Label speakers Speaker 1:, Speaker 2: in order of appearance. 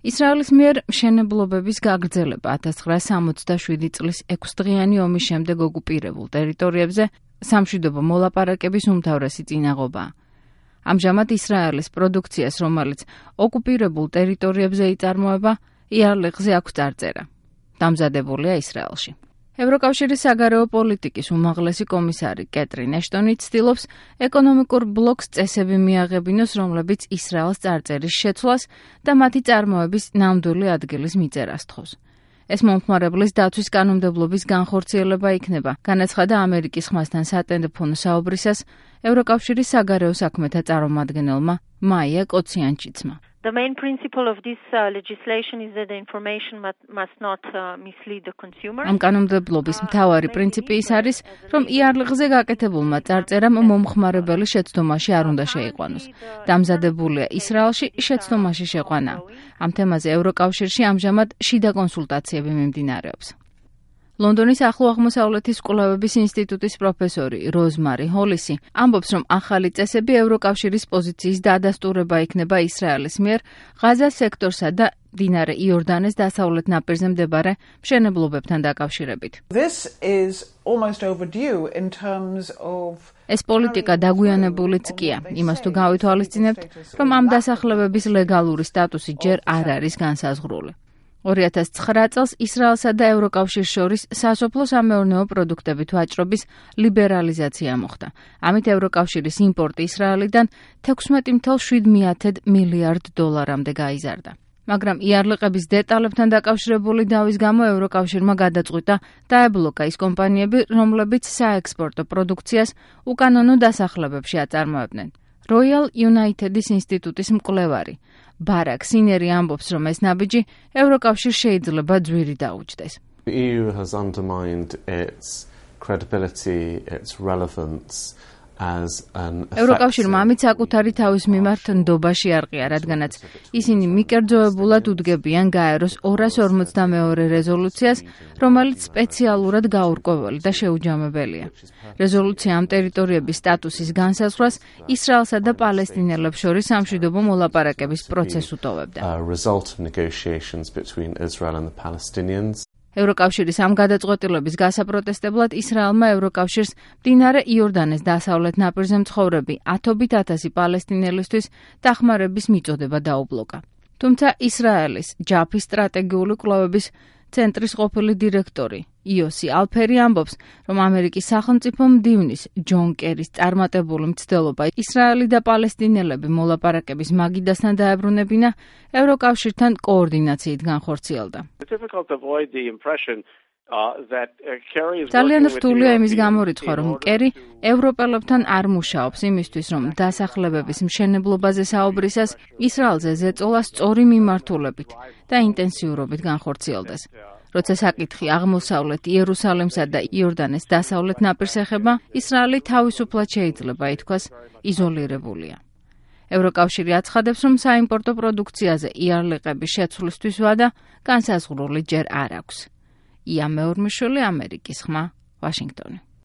Speaker 1: ისრაელის მიერ მშენებლობების გაგრძელება 1967 წლის 6 დღიანი ომის შემდეგ ოკუპირებულ ტერიტორიებზე სამშვიდობო მოლაპარაკების უმთავრესი წინაღობაა. ამჟამად ისრაელის პროდუქციას, რომელიც ოკუპირებულ ტერიტორიებზე იწარმოება, იარლიყზე აქვს წარწერა. დამზადებულია ისრაელში. ევროკავშირის საგარეო პოლიტიკის უმაღლესი კომისარი კეტრინ ეშტონი ცდილობს ეკონომიკურ ბლოკს წესები მიაღებინოს, რომლებიც ისრაელს წარწერის შეცვლას და მათი წარმოების ნამდვილი ადგილის მიწერას თხოვს. ეს მომხმარებლის დაცვის კანონმდებლობის განხორციელება იქნება, განაცხადა ამერიკის ხმასთან სატელეფონო საუბრისას ევროკავშირის საგარეო საქმეთა წარმომადგენელმა მაია კოციანჩიცმა.
Speaker 2: The main principle of this legislation is that the information must not mislead the consumer.
Speaker 1: ამ კანონმდებლობის მთავარი პრინციპი ის არის, რომ იარლიყზე გაკეთებულმა წარწერამ მომხმარებელი შეცდომაში არ უნდა შეიყვანოს. დამზადებულია ისრაელში, შეცდომაში შეყვანა. ამ თემაზე ევროკავშირში ამჟამად შიდა კონსულტაციები მიმდინარეობს. ლონდონის ახლო აღმოსავლეთის კვლევების ინსტიტუტის პროფესორი როზმარი ჰოლისი ამბობს, რომ ახალი წესები ევროკავშირის პოზიციის დადასტურება იქნება ისრაელის მიერ ღაზას სექტორსა და მდინარე იორდანეს დასავლეთ ნაპირზე მდებარე მშენებლობებთან დაკავშირებით. ეს პოლიტიკა დაგვიანებულიც კია, იმას თუ გავითვალისწინებთ, რომ ამ დასახლებების ლეგალური სტატუსი ჯერ არ არის განსაზღვრული. 2009 წელს ისრაელსა და ევროკავშირს შორის სასოფლო-სამეურნეო პროდუქტებით ვაჭრობის ლიბერალიზაცია მოხდა. ამით ევროკავშირის იმპორტი ისრაელიდან 16.7 მილიარდ დოლარამდე გაიზარდა. მაგრამ იარლიყების დეტალებთან დაკავშირებული დავის გამო ევროკავშირმა გადაწყვიტა დაებლოკა ის კომპანიები, რომლებიც საექსპორტო პროდუქციას უკანონო დასახლებებში აწარმოებდნენ. Royal United-ის ინსტიტუტის მკვლევარი ბარაკ სინერი ამბობს, რომ ეს ნაბიჯი ევროკავშირს შეიძლება ძვირი დაუჯდეს.
Speaker 3: The EU has undermined its credibility, its relevance as an
Speaker 1: ევროკავშირმა ამით საკუთარი თავის მიმართ ნდობაში არყია, რადგანაც ისინი მიკერძოებულად უდგებიან გაეროს 242 რეზოლუციას, რომელიც სპეციალურად გაურკვეველი და შეუჯამებელია. რეზოლუცია ამ ტერიტორიების სტატუსის განსაზღვრას ისრაელსა და პალესტინელებს შორის სამშვიდობო მოლაპარაკების პროცესს უტოვებდა. ევროკავშირის ამ გადაწყვეტილების გასაპროტესტებლად ისრაელმა ევროკავშირს მდინარე იორდანეს დასავლეთ ნაპირზე მცხოვრები 10,000 პალესტინელისთვის დახმარების მიწოდება დაუბლოკა. თუმცა ისრაელის ჯაფის სტრატეგიული კვლევების ცენტრის ყოფილი დირექტორი იოსი ალფერი ამბობს, რომ ამერიკის სახელმწიფო მდივნის ჯონ კერის წარმატებული მცდელობა ისრაელი და პალესტინელები მოლაპარაკების მაგიდასთან დაებრუნებინა ევროკავშირთან კოორდინაციით განხორციელდა. ძალიან რთულია იმის გამორიცხვა, რომ კერი ევროპელებთან არ მუშაობს იმისთვის, რომ დასახლებების მშენებლობაზე საუბრისას ისრაელზე ზეწოლა სწორი მიმართულებით და ინტენსიურობით განხორციელდეს. როცა საკითხი აღმოსავლეთ იერუსალიმსა და იორდანეს დასავლეთ ნაპირს ეხება, ისრაელი თავისუფლად შეიძლება ითქვას იზოლირებულია. ევროკავშირი აცხადებს, რომ საიმპორტო პროდუქციაზე იარლიყების შეცვლისთვის ვადა განსაზღვრული ჯერ არ აქვს. ია მეორმიშვილი, ამერიკის ხმა, ვაშინგტონი.